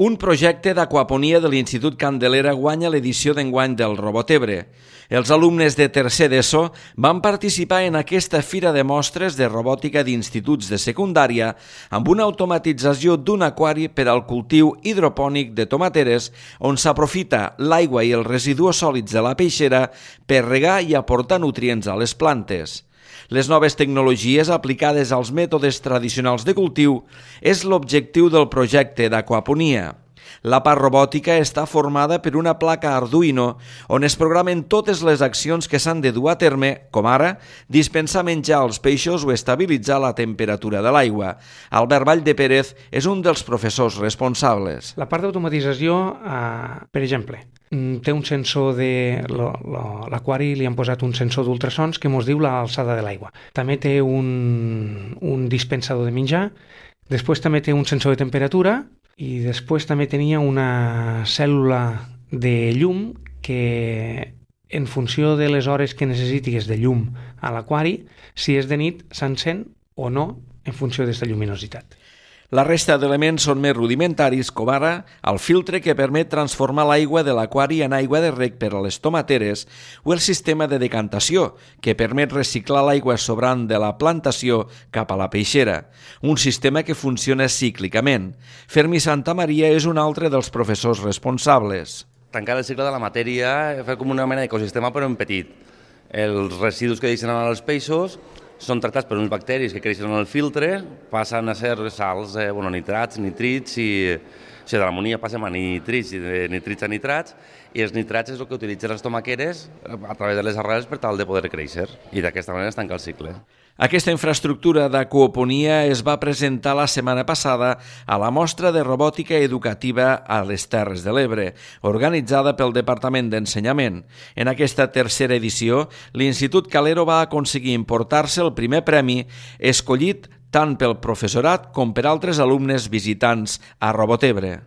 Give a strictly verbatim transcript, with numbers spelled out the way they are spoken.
Un projecte d'aquaponia de l'Institut Candelera guanya l'edició d'enguany del Robotebre. Els alumnes de tercer d'ESO van participar en aquesta fira de mostres de robòtica d'instituts de secundària amb una automatització d'un aquari per al cultiu hidropònic de tomateres on s'aprofita l'aigua i els residus sòlids de la peixera per regar i aportar nutrients a les plantes. Les noves tecnologies aplicades als mètodes tradicionals de cultiu és l'objectiu del projecte d'aquaponia. La part robòtica està formada per una placa Arduino on es programen totes les accions que s'han de dur a terme, com ara dispensar menjar als peixos o estabilitzar la temperatura de l'aigua. Albert Valldepérez és un dels professors responsables. La part d'automatització, eh, per exemple, té un sensor de... L'aquari li han posat un sensor d'ultrasons que ens diu l'alçada de l'aigua. També té un, un dispensador de menjar, després també té un sensor de temperatura i després també tenia una cèl·lula de llum que en funció de les hores que necessitis de llum a l'aquari, si és de nit s'encén o no en funció d'aquesta lluminositat. La resta d'elements són més rudimentaris, com ara el filtre que permet transformar l'aigua de l'aquari en aigua de reg per a les tomateres o el sistema de decantació, que permet reciclar l'aigua sobrant de la plantació cap a la peixera, un sistema que funciona cíclicament. Fermi Santamaria és un altre dels professors responsables. Tancar el cicle de la matèria, fer com una mena d'ecosistema però en petit. Els residus que deixen anar als peixos són tractats per uns bacteris que creixen en el filtre, passen a ser sals, eh, bueno, nitrats, nitrits, i, o sigui, de l'amonia passem a nitrits, i de nitrits a nitrats, i els nitrats és el que utilitzen les tomaqueres a través de les arrels per tal de poder créixer, i d'aquesta manera es tanca el cicle. Aquesta infraestructura d'aquaponia es va presentar la setmana passada a la mostra de robòtica educativa a les Terres de l'Ebre, organitzada pel Departament d'Ensenyament. En aquesta tercera edició, l'Institut Calero va aconseguir emportar-se el primer premi, escollit tant pel professorat com per altres alumnes visitants a Robotebre.